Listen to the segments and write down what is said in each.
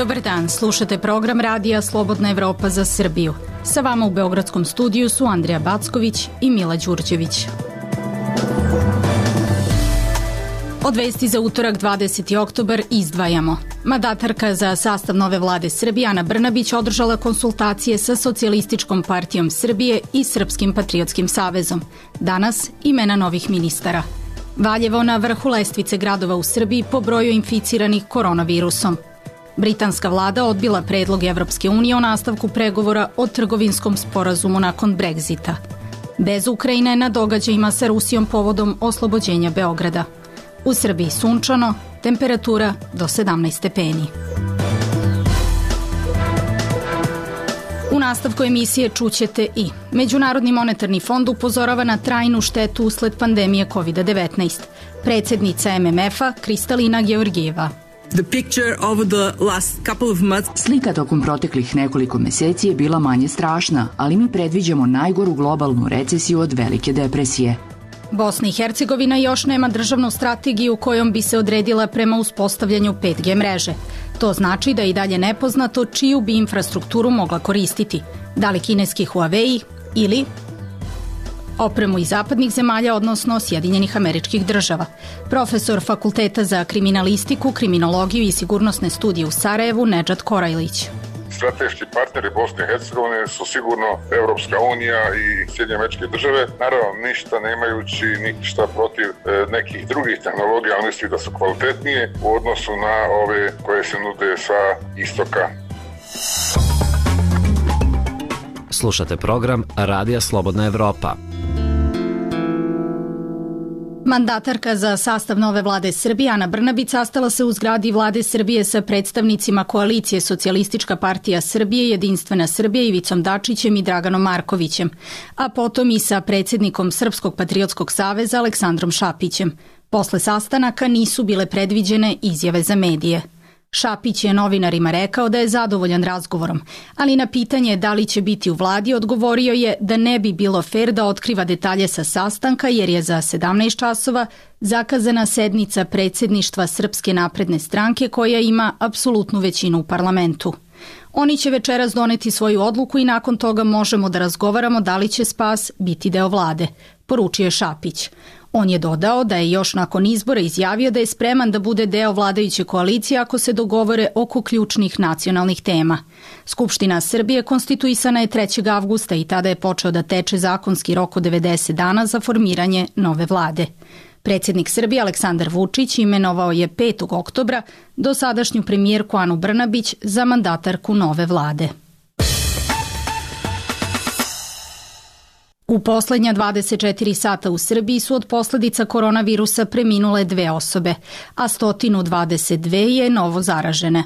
Dobar dan, slušate program Radija Slobodna Evropa za Srbiju. Sa vama u Beogradskom studiju su Andrija Backović i Mila Đurđević. Od vesti za utorak 20. oktobar izdvajamo. Mandatarka za sastav nove vlade Srbije Ana Brnabić održala konsultacije sa Socijalističkom partijom Srbije i Srpskim patriotskim savezom. Danas imena novih ministara. Valjevo na vrhu lestvice gradova u Srbiji po broju inficiranih koronavirusom. Britanska vlada odbila predlog Evropske unije o nastavku pregovora o trgovinskom sporazumu nakon Brexita. Bez Ukrajine na događajima sa Rusijom povodom oslobođenja Beograda. U Srbiji sunčano, temperatura do 17 stepeni. U nastavku emisije čućete i Međunarodni monetarni fond upozorava na trajnu štetu usled pandemije COVID-19. Predsjednica MMF-a Kristalina Georgijeva. Slika tokom proteklih nekoliko meseci je bila manje strašna, ali mi predviđamo najgoru globalnu recesiju od velike depresije. Bosna i Hercegovina još nema državnu strategiju kojom bi se odredila prema uspostavljanju 5G mreže. To znači da je i dalje nepoznato čiju bi infrastrukturu mogla koristiti. Da li kineski Huawei ili opremu iz zapadnih zemalja, odnosno Sjedinjenih Američkih Država. Profesor Fakulteta za kriminalistiku, kriminologiju i sigurnosne studije u Sarajevu, Nedžad Korajlić. Strateški partneri Bosne i Hercegovine su sigurno Evropska unija i Sjedinjene Američke Države. Naravno, ništa nemajući ništa protiv nekih drugih tehnologija, ali mislim da su kvalitetnije u odnosu na ove koje se nude sa istoka. Slušate program Radija Slobodna Evropa. Mandatarka za sastav nove vlade Srbije Ana Brnabić sastala se u zgradi vlade Srbije sa predstavnicima koalicije Socijalistička partija Srbije, Jedinstvena Srbija Ivicom Dačićem i Draganom Markovićem, a potom i sa predsjednikom Srpskog patriotskog saveza Aleksandrom Šapićem. Posle sastanaka nisu bile predviđene izjave za medije. Šapić je novinarima rekao da je zadovoljan razgovorom, ali na pitanje da li će biti u vladi odgovorio je da ne bi bilo fer da otkriva detalje sa sastanka jer je za 17 časova zakazana sednica predsjedništva Srpske napredne stranke koja ima apsolutnu većinu u parlamentu. Oni će večeras doneti svoju odluku i nakon toga možemo da razgovaramo da li će spas biti deo vlade, poručio je Šapić. On je dodao da je još nakon izbora izjavio da je spreman da bude deo vladajuće koalicije ako se dogovore oko ključnih nacionalnih tema. Skupština Srbije konstituisana je 3. avgusta i tada je počeo da teče zakonski rok od 90 dana za formiranje nove vlade. Predsjednik Srbije Aleksandar Vučić imenovao je 5. oktobra dosadašnju premijerku Anu Brnabić za mandatarku nove vlade. U poslednja 24 sata u Srbiji su od posljedica koronavirusa preminule 2 osobe, a 122 je novo zaražene,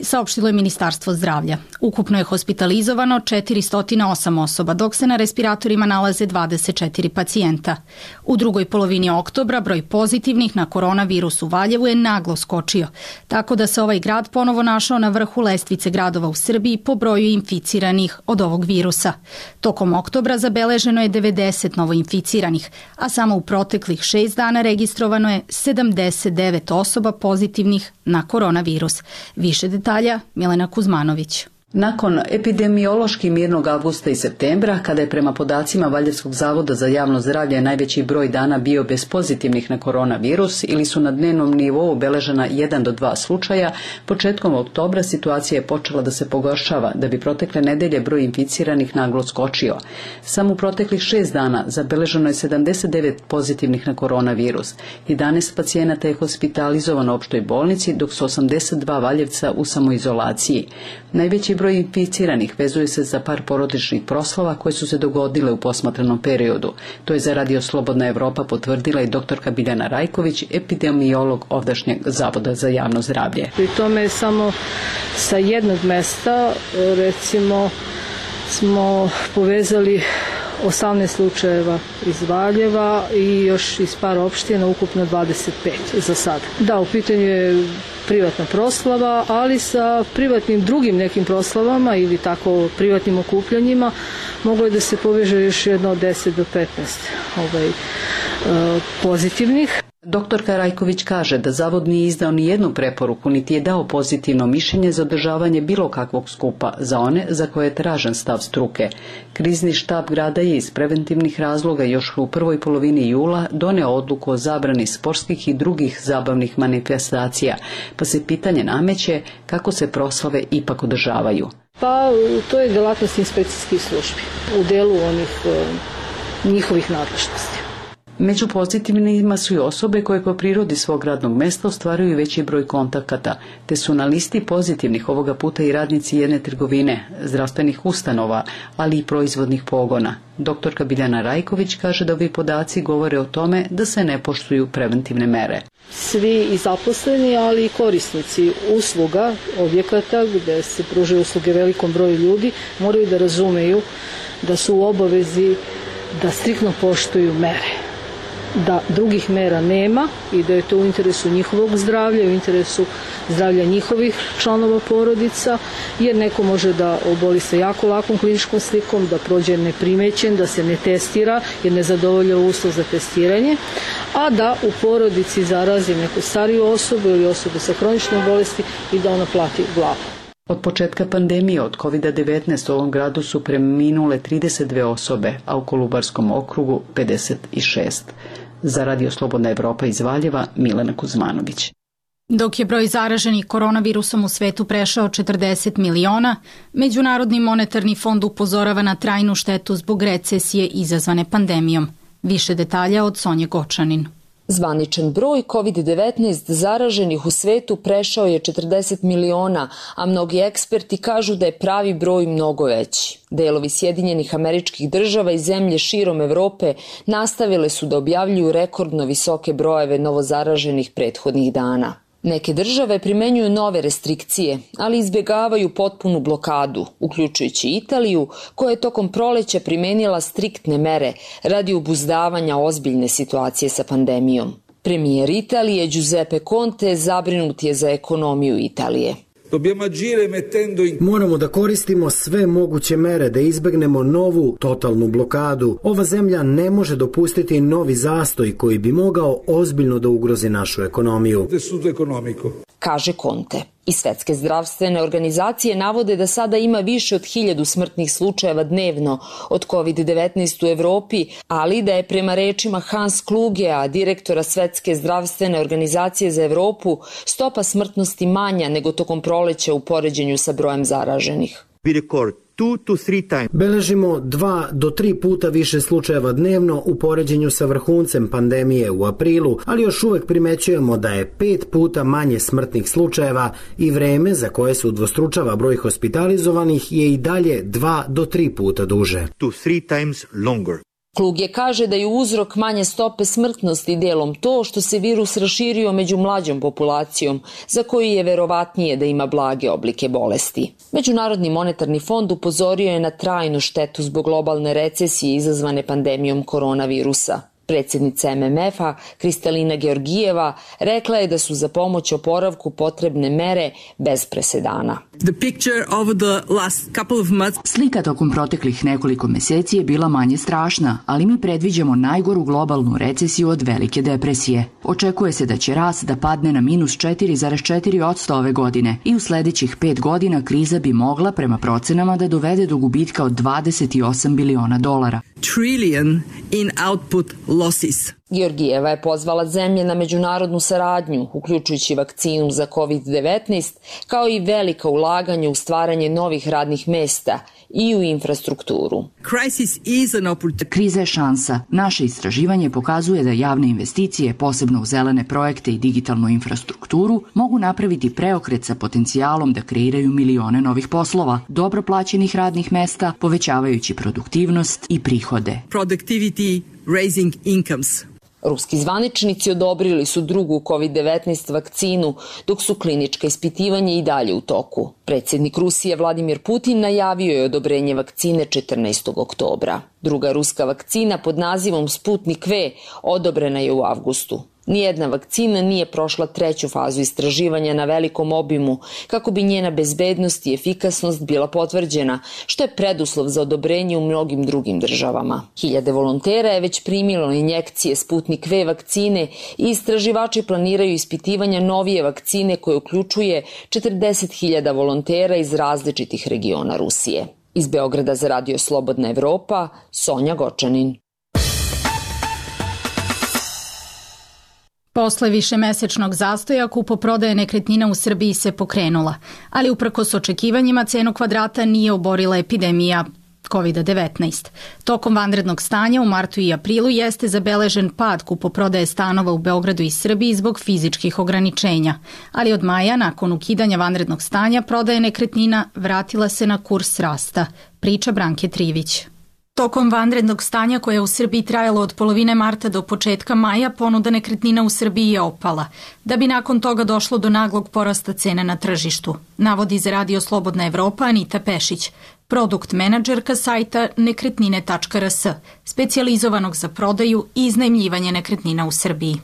saopštilo je Ministarstvo zdravlja. Ukupno je hospitalizovano 408 osoba, dok se na respiratorima nalaze 24 pacijenta. U drugoj polovini oktobra broj pozitivnih na koronavirus u Valjevu je naglo skočio, tako da se ovaj grad ponovo našao na vrhu lestvice gradova u Srbiji po broju inficiranih od ovog virusa. Tokom oktobra zabeleženo je 90 novoinficiranih, a samo u proteklih 6 dana registrovano je 79 osoba pozitivnih na koronavirus. Više detalja Milena Kuzmanović. Nakon epidemiološki mirnog avgusta i septembra, kada je prema podacima Valjevskog zavoda za javno zdravlje najveći broj dana bio bez pozitivnih na koronavirus ili su na dnevnom nivou obeležena 1 do 2 slučaja, početkom oktobra situacija je počela da se pogoršava, da bi protekle nedelje broj inficiranih naglo skočio. Samo u proteklih 6 dana zabeleženo je 79 pozitivnih na koronavirus. 11 pacijenata je hospitalizovano u opštoj bolnici, dok su 82 Valjevca u samoizolaciji. Najveći broj inficiranih vezuje se za par porodičnih proslava koje su se dogodile u posmatranom periodu. To je za Radio Slobodna Evropa potvrdila i doktorka Biljana Rajković, epidemiolog ovdašnjeg Zavoda za javno zdravlje. Pri tome samo sa jednog mesta, recimo, smo povezali 18 slučajeva iz Valjeva i još iz par opština, ukupno 25 za sad. Da, u pitanju je privatna proslava, ali sa privatnim drugim nekim proslavama ili tako privatnim okupljanjima moglo je da se poveže još jedno od 10 do 15 pozitivnih. Doktorka Rajković kaže da zavod nije izdao ni jednu preporuku, niti je dao pozitivno mišljenje za održavanje bilo kakvog skupa za one za koje je tražen stav struke. Krizni štab grada je iz preventivnih razloga još u prvoj polovini jula doneo odluku o zabrani sportskih i drugih zabavnih manifestacija, pa se pitanje nameće kako se proslave ipak održavaju. Pa to je delatnost inspekcijskih službi u delu njihovih nadležnosti. Među pozitivnima su i osobe koje po prirodi svog radnog mesta ostvaruju veći broj kontakata, te su na listi pozitivnih ovoga puta i radnici jedne trgovine, zdravstvenih ustanova, ali i proizvodnih pogona. Doktorka Biljana Rajković kaže da ovi podaci govore o tome da se ne poštuju preventivne mere. Svi i zaposleni, ali i korisnici usluga, objekata gde se pružaju usluge velikom broju ljudi, moraju da razumeju da su u obavezi da striktno poštuju mere, da drugih mera nema i da je to u interesu njihovog zdravlja, u interesu zdravlja njihovih članova porodica, jer neko može da oboli sa jako lakom kliničkom slikom, da prođe neprimećen, da se ne testira jer ne zadovolja uslov za testiranje, a da u porodici zarazi neku stariju osobu ili osobu sa hroničnom bolesti i da ona plati glavu. Od početka pandemije od COVID-19 u ovom gradu su preminule 32 osobe, a u Kolubarskom okrugu 56. Za Radio Slobodna Evropa iz Valjeva, Milena Kuzmanović. Dok je broj zaraženih koronavirusom u svetu prešao 40 miliona, Međunarodni monetarni fond upozorava na trajnu štetu zbog recesije izazvane pandemijom. Više detalja od Sonje Gočanin. Zvaničan broj COVID-19 zaraženih u svetu prešao je 40 miliona, a mnogi eksperti kažu da je pravi broj mnogo veći. Delovi Sjedinjenih Američkih Država i zemlje širom Evrope nastavile su da objavljuju rekordno visoke brojeve novozaraženih prethodnih dana. Neke države primenjuju nove restrikcije, ali izbjegavaju potpunu blokadu, uključujući Italiju, koja je tokom proleća primenila striktne mere radi obuzdavanja ozbiljne situacije sa pandemijom. Premijer Italije Giuseppe Conte zabrinut je za ekonomiju Italije. Moramo da koristimo sve moguće mere da izbegnemo novu totalnu blokadu. Ova zemlja ne može dopustiti novi zastoj koji bi mogao ozbiljno da ugrozi našu ekonomiju, kaže Conte. I Svetske zdravstvene organizacije navode da sada ima više od 1000 smrtnih slučajeva dnevno od COVID-19 u Evropi, ali da je prema rečima Hans Klugea, direktora Svetske zdravstvene organizacije za Evropu, stopa smrtnosti manja nego tokom proleća u poređenju sa brojem zaraženih. Beležimo 2 do 3 puta više slučajeva dnevno u poređenju sa vrhuncem pandemije u aprilu, ali još uvek primećujemo da je 5 puta manje smrtnih slučajeva i vreme za koje se udvostručava broj hospitalizovanih je i dalje 2 do 3 puta duže. Kluge kaže da je uzrok manje stope smrtnosti delom to što se virus raširio među mlađom populacijom, za koju je verovatnije da ima blage oblike bolesti. Međunarodni monetarni fond upozorio je na trajnu štetu zbog globalne recesije izazvane pandemijom koronavirusa. Predsjednica MMF-a, Kristalina Georgijeva, rekla je da su za pomoć oporavku potrebne mere bez presedana. Slika tokom proteklih nekoliko meseci je bila manje strašna, ali mi predviđamo najgoru globalnu recesiju od velike depresije. Očekuje se da će rast da padne na minus 4,4% ove godine i u sledećih 5 godina kriza bi mogla, prema procenama, da dovede do gubitka od $28 biliona. Trillion in output losses. Georgijeva je pozvala zemlje na međunarodnu saradnju, uključujući vakcinu za COVID-19, kao i velika ulaganja u stvaranje novih radnih mesta i u infrastrukturu. Kriza je šansa. Naše istraživanje pokazuje da javne investicije, posebno u zelene projekte i digitalnu infrastrukturu, mogu napraviti preokret sa potencijalom da kreiraju milione novih poslova, dobro plaćenih radnih mesta, povećavajući produktivnost i prihode. Productivity raising incomes. Ruski zvaničnici odobrili su drugu COVID-19 vakcinu, dok su klinička ispitivanja i dalje u toku. Predsjednik Rusije Vladimir Putin najavio je odobrenje vakcine 14. oktobra. Druga ruska vakcina pod nazivom Sputnik V odobrena je u avgustu. Nijedna vakcina nije prošla treću fazu istraživanja na velikom obimu kako bi njena bezbednost i efikasnost bila potvrđena, što je preduslov za odobrenje u mnogim drugim državama. Hiljade volontera je već primilo injekcije Sputnik V vakcine i istraživači planiraju ispitivanja novije vakcine koje uključuje 40.000 volontera iz različitih regiona Rusije. Iz Beograda za Radio Slobodna Evropa, Sonja Gočanin. Posle višemesečnog zastoja kupoprodaja nekretnina u Srbiji se pokrenula, ali uprkos očekivanjima cenu kvadrata nije oborila epidemija COVID-19. Tokom vanrednog stanja u martu i aprilu jeste zabeležen pad kupoprodaje stanova u Beogradu i Srbiji zbog fizičkih ograničenja, ali od maja, nakon ukidanja vanrednog stanja, prodaja nekretnina vratila se na kurs rasta, priča Branke Trivić. Tokom vanrednog stanja koje je u Srbiji trajalo od polovine marta do početka maja, ponuda nekretnina u Srbiji je opala, da bi nakon toga došlo do naglog porasta cena na tržištu, navodi za Radio Slobodna Evropa Anita Pešić, produkt menadžerka sajta nekretnine.rs, specijalizovanog za prodaju i iznajmljivanje nekretnina u Srbiji.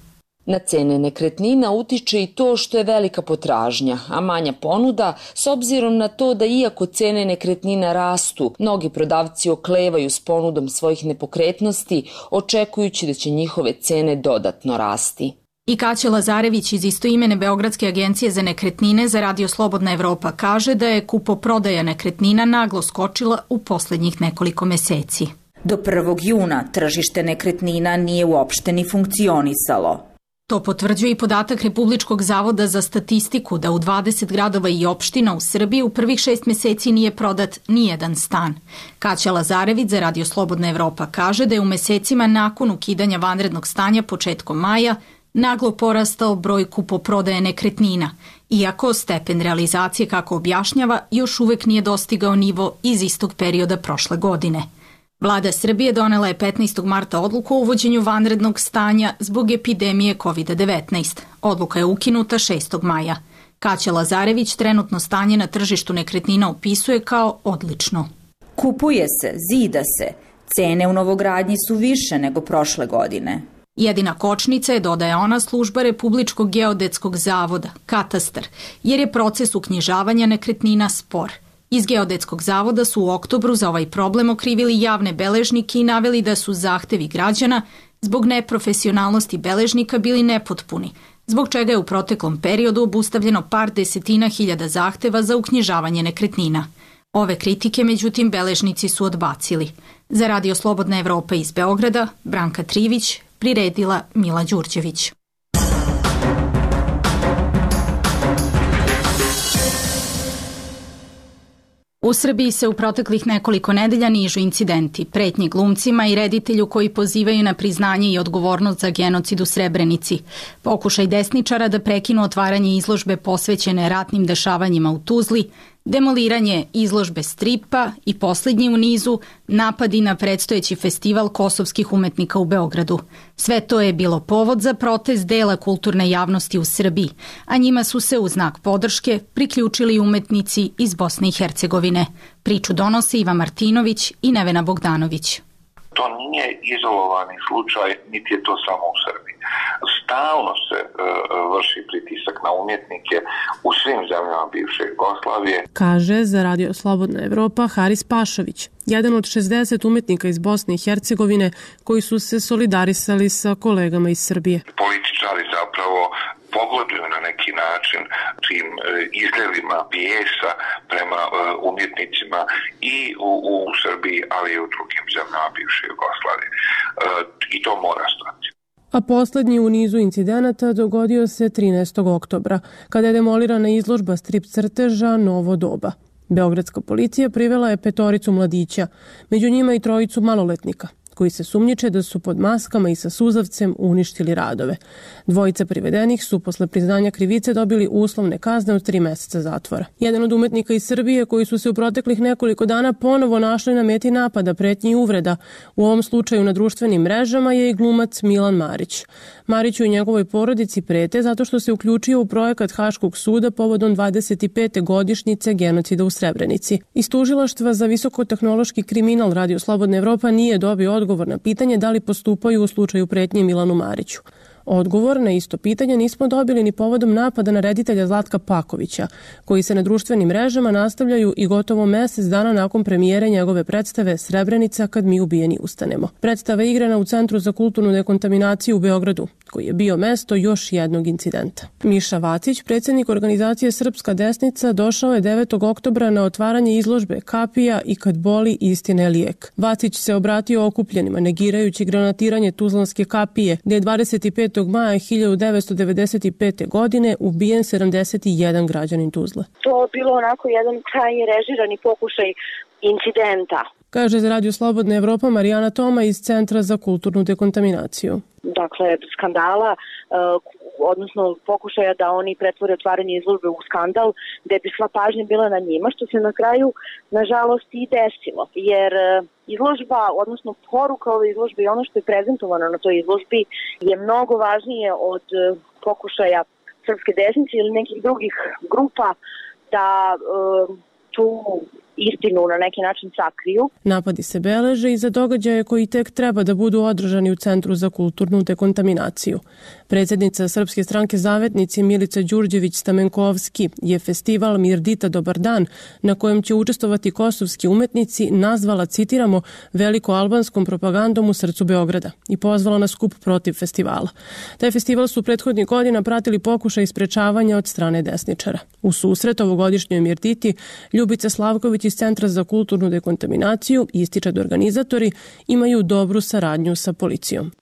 Na cene nekretnina utiče i to što je velika potražnja, a manja ponuda, s obzirom na to da iako cene nekretnina rastu, mnogi prodavci oklevaju s ponudom svojih nepokretnosti, očekujući da će njihove cene dodatno rasti. I Kaća Lazarević iz istoimene Beogradske agencije za nekretnine za Radio Slobodna Evropa kaže da je kupoprodaja nekretnina naglo skočila u poslednjih nekoliko meseci. Do 1. juna tržište nekretnina nije uopšte ni funkcionisalo. To potvrđuje i podatak Republičkog zavoda za statistiku da u 20 gradova i opština u Srbiji u prvih 6 meseci nije prodat nijedan stan. Kaća Lazarević za Radio Slobodna Evropa kaže da je u mesecima nakon ukidanja vanrednog stanja početkom maja naglo porastao broj kupoprodaje nekretnina, iako stepen realizacije, kako objašnjava, još uvek nije dostigao nivo iz istog perioda prošle godine. Vlada Srbije donela je 15. marta odluku o uvođenju vanrednog stanja zbog epidemije COVID-19. Odluka je ukinuta 6. maja. Kaća Lazarević trenutno stanje na tržištu nekretnina opisuje kao odlično. Kupuje se, zida se. Cene u novogradnji su više nego prošle godine. Jedina kočnica je, dodaje ona, služba Republičkog geodetskog zavoda, katastar, jer je proces uknjižavanja nekretnina spor. Iz Geodetskog zavoda su u oktobru za ovaj problem okrivili javne beležnike i naveli da su zahtevi građana zbog neprofesionalnosti beležnika bili nepotpuni, zbog čega je u proteklom periodu obustavljeno par desetina hiljada zahteva za uknjižavanje nekretnina. Ove kritike, međutim, beležnici su odbacili. Za Radio Slobodna Evropa iz Beograda, Branka Trivić, priredila Mila Đurđević. U Srbiji se u proteklih nekoliko nedelja nižu incidenti, pretnji glumcima i reditelju koji pozivaju na priznanje i odgovornost za genocid u Srebrenici, pokušaj desničara da prekinu otvaranje izložbe posvećene ratnim dešavanjima u Tuzli, demoliranje izložbe stripa i posljednji u nizu napadi na predstojeći festival kosovskih umetnika u Beogradu. Sve to je bilo povod za protest dela kulturne javnosti u Srbiji, a njima su se u znak podrške priključili umetnici iz Bosne i Hercegovine. Priču donose Iva Martinović i Nevena Bogdanović. To nije izolovani slučaj, niti je to samo u Srbiji. Stalno se vrši pritisak na umjetnike u svim zemljama bivše Jugoslavije. Kaže za Radio Slobodna Evropa Haris Pašović, jedan od 60 umetnika iz Bosne i Hercegovine koji su se solidarisali sa kolegama iz Srbije. Političari zapravo pogoduju na neki način tim izljevima bijesa prema umjetnicima i u Srbiji, ali i u drugim zemljama bivše Jugoslavije. I to mora stati. A poslednji u nizu incidenata dogodio se 13. oktobra, kada je demolirana izložba strip crteža Novo doba. Beogradska policija privela je 5 mladića, među njima i 3 maloletnika, koji se sumnjiče da su pod maskama i sa suzavcem uništili radove. 2 privedenih su posle priznanja krivice dobili uslovne kazne od 3 meseca zatvora. Jedan od umetnika iz Srbije koji su se u proteklih nekoliko dana ponovo našli na meti napada, pretnji i uvreda, u ovom slučaju na društvenim mrežama, je i glumac Milan Marić. Mariću i njegovoj porodici prete zato što se uključio u projekat Haškog suda povodom 25. godišnjice genocida u Srebrenici. Iz tužilaštva za visokotehnološki kriminal Radio Slobodna Evropa nije dobio odgovor na pitanje da li postupaju u slučaju pretnje Milanu Mariću. Odgovor na isto pitanje nismo dobili ni povodom napada na reditelja Zlatka Pakovića, koji se na društvenim mrežama nastavljaju i gotovo mesec dana nakon premijere njegove predstave Srebrenica kad mi ubijeni ustanemo. Predstava je igrana u Centru za kulturnu dekontaminaciju u Beogradu, koji je bio mesto još jednog incidenta. Miša Vacić, predsjednik organizacije Srpska desnica, došao je 9. oktobra na otvaranje izložbe Kapija i kad boli istina je lijek. Vacić se obratio okupljenima, negirajući granatiranje Tuzlanske kapije, gdje je 25. maja 1995. godine ubijen 71 građanin Tuzle. To je bilo onako jedan krajnje režirani pokušaj incidenta. Kaže za Radio Slobodna Evropa Marijana Toma iz Centra za kulturnu dekontaminaciju. Dakle, skandala, odnosno pokušaja da oni pretvore otvaranje izložbe u skandal, gde bi sva pažnja bila na njima, što se na kraju, nažalost, i desilo. Jer izložba, odnosno poruka ove izložbe i ono što je prezentovano na toj izložbi je mnogo važnije od pokušaja Srpske desnice ili nekih drugih grupa da tu istinu na neki način sakriju. Napadi se beleže i za događaje koji tek treba da budu održani u Centru za kulturnu dekontaminaciju. Predsjednica Srpske stranke Zavetnici Milica Đurđević-Stamenkovski je festival Mirdita Dobar dan, na kojem će učestvovati kosovski umetnici, nazvala, citiramo, veliko-albanskom propagandom u srcu Beograda i pozvala na skup protiv festivala. Taj festival su prethodnih godina pratili pokušaj sprečavanja od strane desničara. U susret ovogodišnjoj Mirditi Ljubica Slavković iz Centra za kulturnu dekontaminaciju ističe da organizatori imaju dobru saradnju sa policijom.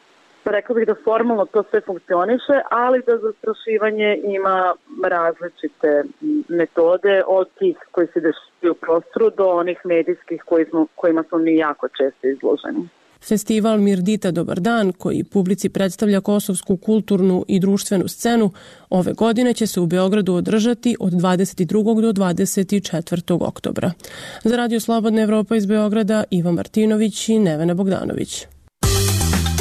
Rekla bih da formalno to sve funkcioniše, ali da zastrašivanje ima različite metode od tih koji se dešavaju u prostoru do onih medijskih kojima smo mi jako često izloženi. Festival Mirdita Dobar dan, koji publici predstavlja kosovsku kulturnu i društvenu scenu, ove godine će se u Beogradu održati od 22. do 24. oktobra. Za Radio Slobodna Evropa iz Beograda, Ivan Martinović i Nevena Bogdanović.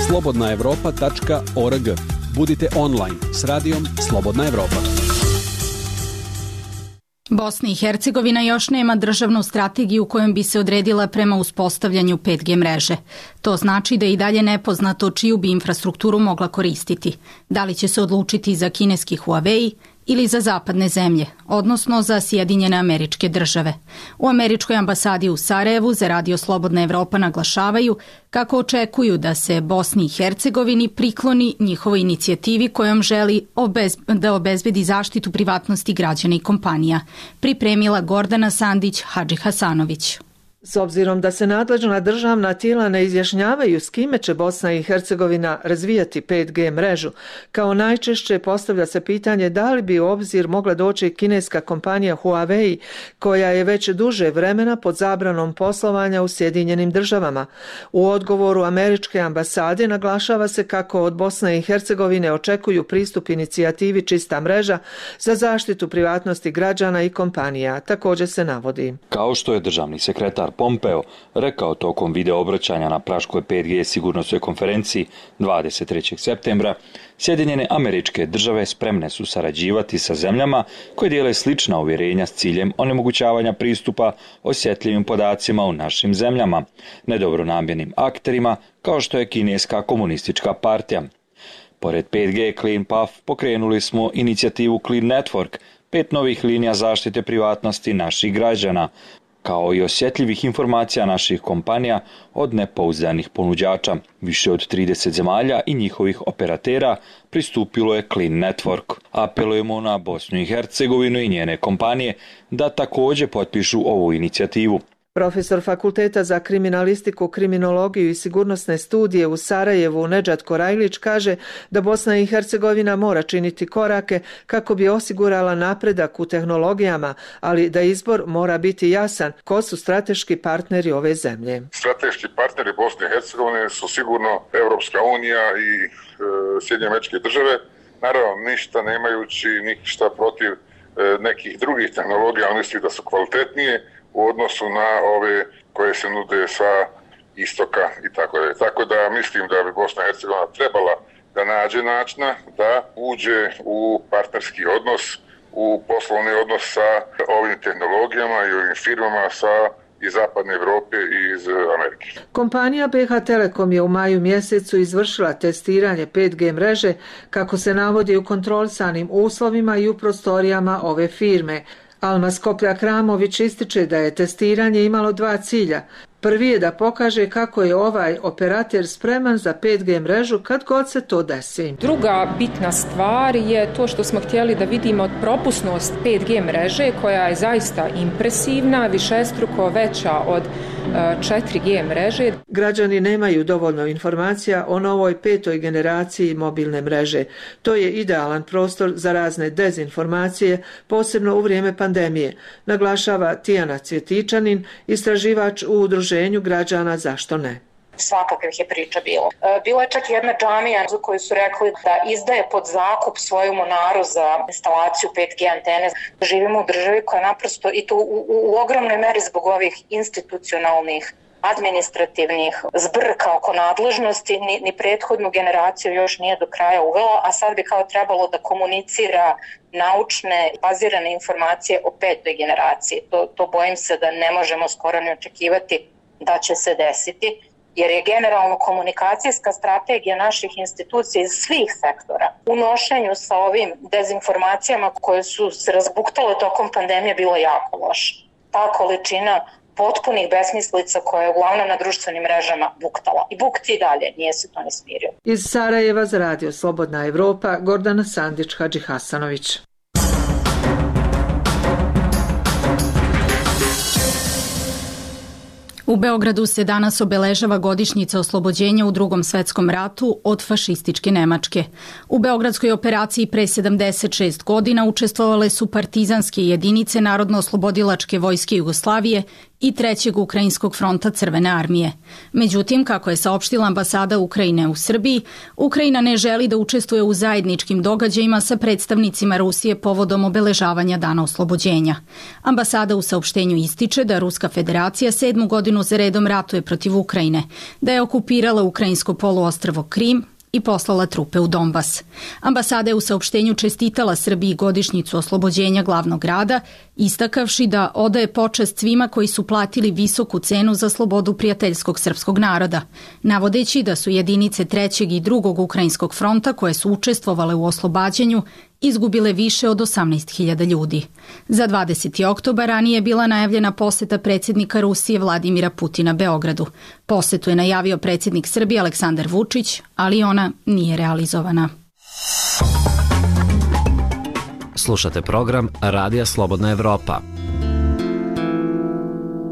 slobodnaevropa.org. Budite online s radijom Slobodna Evropa. Bosna i Hercegovina još nema državnu strategiju kojom bi se odredila prema uspostavljanju 5G mreže. To znači da je i dalje nepoznato čiju bi infrastrukturu mogla koristiti. Da li će se odlučiti za kineski Huawei ili za zapadne zemlje, odnosno za Sjedinjene Američke Države. U Američkoj ambasadi u Sarajevu za Radio Slobodna Evropa naglašavaju kako očekuju da se Bosni i Hercegovini prikloni njihovoj inicijativi kojom želi da obezbedi zaštitu privatnosti građana i kompanija. Pripremila Gordana Sandić Hadži-Hasanović. S obzirom da se nadležna državna tijela ne izjašnjavaju s kime će Bosna i Hercegovina razvijati 5G mrežu, kao najčešće postavlja se pitanje da li bi u obzir mogla doći kineska kompanija Huawei, koja je već duže vremena pod zabranom poslovanja u Sjedinjenim Državama. U odgovoru američke ambasade naglašava se kako od Bosne i Hercegovine očekuju pristup inicijativi Čista mreža za zaštitu privatnosti građana i kompanija. Također se navodi. Kao što je državni sekretar Pompeo rekao tokom video obraćanja na Praškoj 5G sigurnosnoj konferenciji 23. septembra, Sjedinjene Američke Države spremne su sarađivati sa zemljama koje dijele slična uvjerenja s ciljem onemogućavanja pristupa osjetljivim podacima u našim zemljama, nedobronamjernim akterima kao što je Kineska komunistička partija. Pored 5G Clean Path pokrenuli smo inicijativu Clean Network, 5 novih linija zaštite privatnosti naših građana, kao i osjetljivih informacija naših kompanija od nepouzdanih ponuđača. Više od 30 zemalja i njihovih operatera pristupilo je Clean Network. Apelujemo na Bosnu i Hercegovinu i njene kompanije da također potpišu ovu inicijativu. Profesor Fakulteta za kriminalistiku, kriminologiju i sigurnosne studije u Sarajevu Nedžad Korajlić kaže da Bosna i Hercegovina mora činiti korake kako bi osigurala napredak u tehnologijama, ali da izbor mora biti jasan. Ko su strateški partneri ove zemlje? Strateški partneri Bosne i Hercegovine su sigurno Europska unija i Sjedinjene Američke Države. Naravno, ništa nemajući ništa protiv nekih drugih tehnologija, ali mislim da su kvalitetnije u odnosu na ove koje se nude sa istoka i tako dalje. Tako da mislim da bi Bosna i Hercegovina trebala da nađe načina da uđe u partnerski odnos, u poslovni odnos sa ovim tehnologijama i ovim firmama sa iz zapadne Evrope i iz Amerike. Kompanija BH Telekom je u maju mjesecu izvršila testiranje 5G mreže kako se navodi u kontrolisanim uslovima i u prostorijama ove firme. Alma Skoplja-Kramović ističe da je testiranje imalo dva cilja. Prvi je da pokaže kako je ovaj operater spreman za 5G mrežu kad god se to desi. Druga bitna stvar je to što smo htjeli da vidimo propusnost 5G mreže koja je zaista impresivna, višestruko veća od 4G mreže. Građani nemaju dovoljno informacija o novoj 5. generaciji mobilne mreže. To je idealan prostor za razne dezinformacije, posebno u vrijeme pandemije, naglašava Tijana Cvjetičanin, istraživač u udruženju građana Zašto ne. Svakakvih je priča bilo. Bila je čak jedna džamija za koju su rekli da izdaje pod zakup svoju monaru za instalaciju 5G antene. Živimo u državi koja naprosto, i to u ogromnoj meri zbog ovih institucionalnih administrativnih zbrka oko nadležnosti, ni prethodnu generaciju još nije do kraja uvela, a sad bi kao trebalo da komunicira naučne, bazirane informacije o 5. generaciji. To bojim se da ne možemo skoro ni očekivati da će se desiti, jer je generalno komunikacijska strategija naših institucija iz svih sektora u nošenju sa ovim dezinformacijama koje su se razbuktale tokom pandemije bilo jako loša. Ta količina potpunih besmislica koja je uglavnom na društvenim mrežama buktala. I bukti i dalje, nije se to ne smirio. Iz Sarajeva za Radio Slobodna Evropa, Gordana Sandić-Hadžihasanović. U Beogradu se danas obeležava godišnjica oslobođenja u Drugom svetskom ratu od fašističke Nemačke. U beogradskoj operaciji pre 76 godina učestvovale su partizanske jedinice Narodno-oslobodilačke vojske Jugoslavije i Trećeg Ukrajinskog fronta Crvene armije. Međutim, kako je saopštila ambasada Ukrajine u Srbiji, Ukrajina ne želi da učestvuje u zajedničkim događajima sa predstavnicima Rusije povodom obeležavanja Dana oslobođenja. Ambasada u saopštenju ističe da Ruska federacija 7. godinu za redom ratuje protiv Ukrajine, da je okupirala ukrajinsko poluostrvo Krim i poslala trupe u Donbas. Ambasada je u saopštenju čestitala Srbiji godišnjicu oslobođenja glavnog grada, istakavši da odaje počast svima koji su platili visoku cenu za slobodu prijateljskog srpskog naroda, navodeći da su jedinice Trećeg i Drugog Ukrajinskog fronta koje su učestvovale u oslobađanju izgubile više od 18.000 ljudi. Za 20. oktobar ranije je bila najavljena poseta predsjednika Rusije Vladimira Putina Beogradu. Posetu je najavio predsjednik Srbije Aleksandar Vučić, ali ona nije realizovana. Slušate program Radija Slobodna Evropa.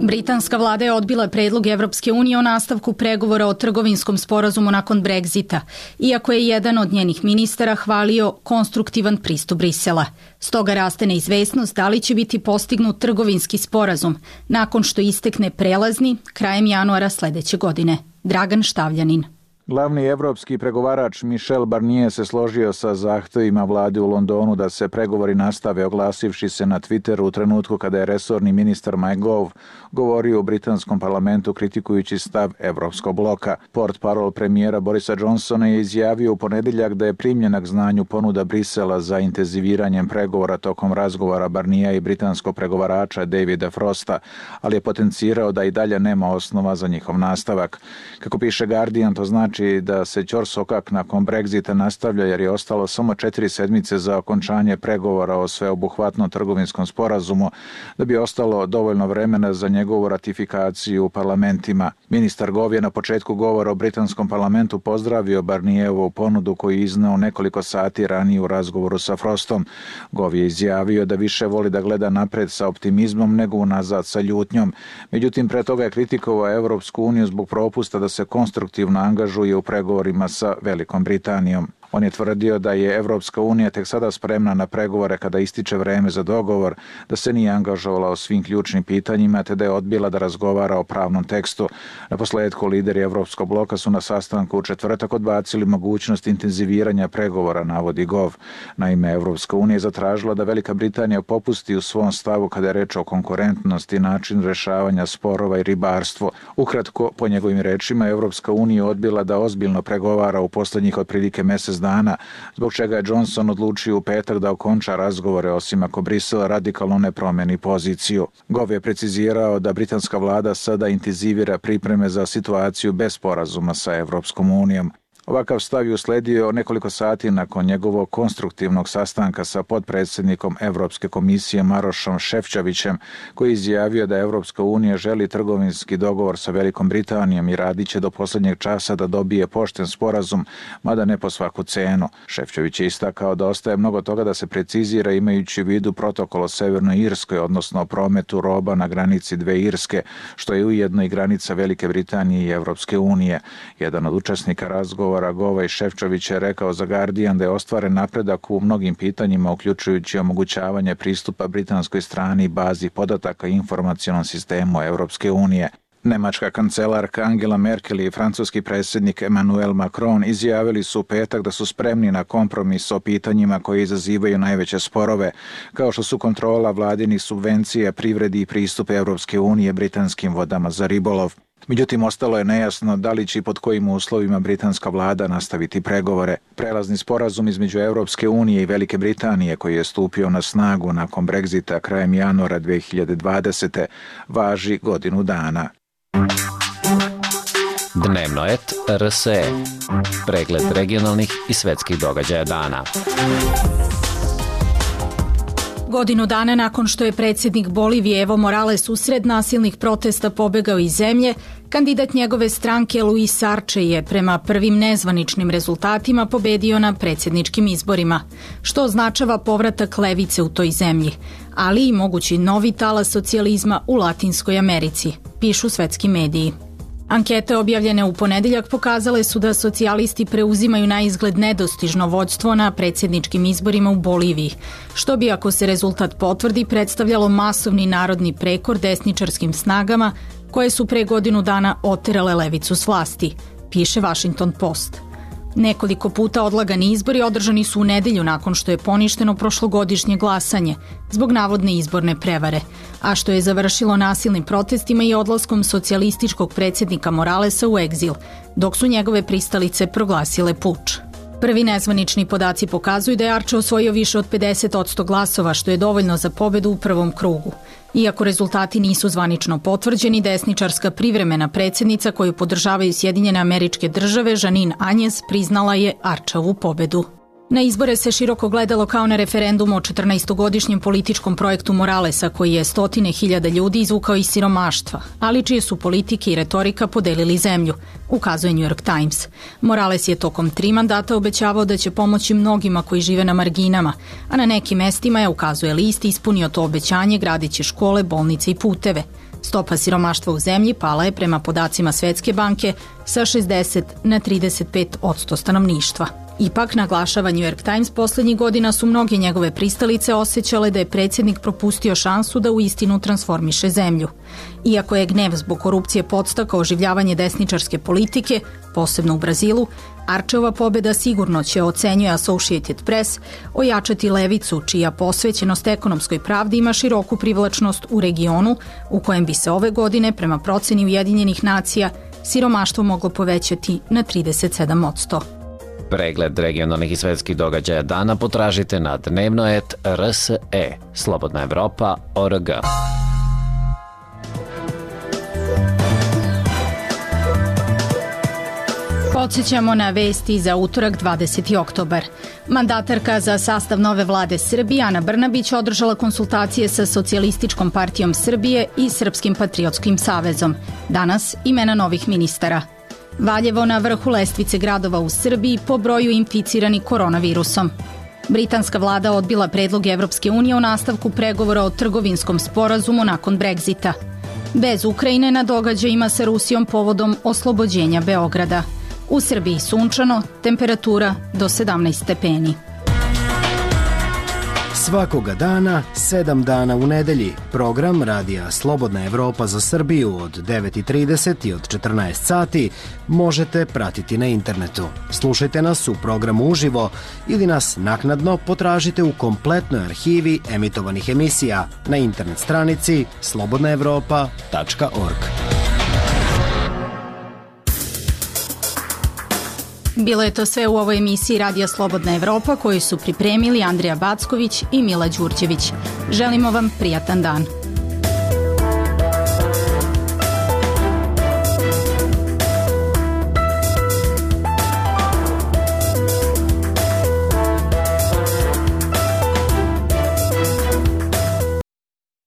Britanska vlada je odbila predlog Evropske unije o nastavku pregovora o trgovinskom sporazumu nakon Brexita, iako je jedan od njenih ministara hvalio konstruktivan pristup Brisela. Stoga raste neizvesnost da li će biti postignut trgovinski sporazum nakon što istekne prelazni krajem januara sledeće godine. Dragan Štavljanin. Glavni evropski pregovarač Michel Barnier se složio sa zahtevima vlade u Londonu da se pregovori nastave, oglasivši se na Twitteru u trenutku kada je resorni ministar Mike Gove govorio u britanskom parlamentu kritikujući stav Evropskog bloka. Portparol premijera Borisa Johnsona je izjavio u ponedeljak da je primljena k znanju ponuda Brisela za intenziviranjem pregovora tokom razgovora Barniera i britanskog pregovarača Davida Frosta, ali je potencirao da i dalje nema osnova za njihov nastavak. Kako piše Guardian, to znači da se ćorsokak nakon Brexita nastavlja jer je ostalo samo 4 sedmice za okončanje pregovora o sveobuhvatnom trgovinskom sporazumu, da bi ostalo dovoljno vremena za njegovu ratifikaciju u parlamentima. Ministar Gove je na početku govora o britanskom parlamentu pozdravio Barnierovu ponudu koju je izneo nekoliko sati ranije u razgovoru sa Frostom. Gove je izjavio da više voli da gleda napred sa optimizmom nego unazad sa ljutnjom. Međutim, pre toga je kritikovao Evropsku uniju zbog propusta da se konstruktivno angažuje u pregovorima sa Velikom Britanijom. On je tvrdio da je Evropska unija tek sada spremna na pregovore kada ističe vreme za dogovor, da se nije angažovala o svim ključnim pitanjima te da je odbila da razgovara o pravnom tekstu. Naposledku lideri Evropskog bloka su na sastanku u četvrtak odbacili mogućnost intenziviranja pregovora, navodi Gove. Naime, Evropska unija je zatražila da Velika Britanija popusti u svom stavu kada je reč o konkurentnosti, način rešavanja sporova i ribarstvo. Ukratko, po njegovim rečima, Evropska unija odbila da ozbiljno pregovara u poslednjih otprilike mesec dana, zbog čega je Johnson odlučio u petak da okonča razgovore osim ako Brisel radikalno ne promeni poziciju. Gov je precizirao da britanska vlada sada intenzivira pripreme za situaciju bez sporazuma sa Evropskom unijom. Ovakav stav je usledio nekoliko sati nakon njegovog konstruktivnog sastanka sa potpredsjednikom Evropske komisije Marošom Šefčovićem, koji je izjavio da Evropska unija želi trgovinski dogovor sa Velikom Britanijom i radit će do posljednjeg časa da dobije pošten sporazum, mada ne po svaku cenu. Šefčović je istakao da ostaje mnogo toga da se precizira imajući u vidu protokol o Severnoj Irskoj, odnosno o prometu roba na granici dve Irske, što je ujedno i granica Velike Britanije i Evropske unije. Jedan od učesnika razgovora Gova i Šefčović je rekao za Guardian da je ostvaren napredak u mnogim pitanjima, uključujući omogućavanje pristupa britanskoj strani bazi podataka i informacionom sistemu Evropske unije. Nemačka kancelarka Angela Merkel i francuski predsjednik Emmanuel Macron izjavili su u petak da su spremni na kompromis o pitanjima koje izazivaju najveće sporove, kao što su kontrola vladinih subvencija, privredi i pristup Evropske unije britanskim vodama za ribolov. Međutim, ostalo je nejasno da li će i pod kojim uslovima britanska vlada nastaviti pregovore. Prelazni sporazum između Evropske unije i Velike Britanije, koji je stupio na snagu nakon Brexita krajem januara 2020. važi godinu dana. Dnevno et RSE. Pregled regionalnih i svetskih događaja dana. Godinu dana nakon što je predsjednik Bolivije Evo Morales usred nasilnih protesta pobegao iz zemlje, kandidat njegove stranke Luis Arce je prema prvim nezvaničnim rezultatima pobedio na predsjedničkim izborima, što označava povratak levice u toj zemlji, ali i mogući novi talas socijalizma u Latinskoj Americi, pišu svetski mediji. Ankete objavljene u ponedeljak pokazale su da socijalisti preuzimaju na izgled nedostižno vođstvo na predsjedničkim izborima u Boliviji, što bi, ako se rezultat potvrdi, predstavljalo masovni narodni prekor desničarskim snagama koje su pre godinu dana oterale levicu s vlasti, piše Washington Post. Nekoliko puta odlagani izbori održani su u nedelju nakon što je poništeno prošlogodišnje glasanje zbog navodne izborne prevare, a što je završilo nasilnim protestima i odlaskom socijalističkog predsjednika Moralesa u egzil, dok su njegove pristalice proglasile puč. Prvi nezvanični podaci pokazuju da je Arce osvojio više od 50% glasova, što je dovoljno za pobedu u prvom krugu. Iako rezultati nisu zvanično potvrđeni, desničarska privremena predsjednica koju podržavaju Sjedinjene Američke Države, Jeanine Áñez, priznala je Arceovu pobedu. Na izbore se široko gledalo kao na referendum o 14-godišnjem političkom projektu Moralesa, koji je stotine hiljada ljudi izvukao iz siromaštva, ali čije su politike i retorika podelili zemlju, ukazuje New York Times. Morales je tokom 3 mandata obećavao da će pomoći mnogima koji žive na marginama, a na nekim mestima je, ukazuje list, ispunio to obećanje gradeći škole, bolnice i puteve. Stopa siromaštva u zemlji pala je prema podacima Svetske banke sa 60 na 35% stanovništva. Ipak, naglašava New York Times, poslednjih godina su mnoge njegove pristalice osjećale da je predsjednik propustio šansu da uistinu transformiše zemlju. Iako je gnev zbog korupcije podstakao oživljavanje desničarske politike, posebno u Brazilu, Arceova pobeda sigurno će, ocenjuje Associated Press, ojačati levicu, čija posvećenost ekonomskoj pravdi ima široku privlačnost u regionu, u kojem bi se ove godine, prema proceni Ujedinjenih nacija, siromaštvo moglo povećati na 37%. Pregled regionalnih i svetskih događaja dana potražite na dnevno.rs.e, Slobodna Evropa.org. Podsjećamo na vesti za utorak 20. oktobar. Mandatarka za sastav nove vlade Srbije Ana Brnabić održala konsultacije sa Socijalističkom partijom Srbije i Srpskim patriotskim savezom. Danas imena novih ministara. Valjevo na vrhu lestvice gradova u Srbiji po broju inficiranih koronavirusom. Britanska vlada odbila predlog Evropske unije o nastavku pregovora o trgovinskom sporazumu nakon Brexita. Bez Ukrajine na događajima sa Rusijom povodom oslobođenja Beograda. U Srbiji sunčano, temperatura do 17 stepeni. Svakoga dana, 7 dana u nedelji, program Radija Slobodna Evropa za Srbiju od 9:30 i od 14 sati možete pratiti na internetu. Slušajte nas u programu uživo ili nas naknadno potražite u kompletnoj arhivi emitovanih emisija na internet stranici slobodnaevropa.org. Bilo je to sve u ovoj emisiji Radija Slobodna Evropa koju su pripremili Andrija Backović i Mila Đurđević. Želimo vam prijatan dan.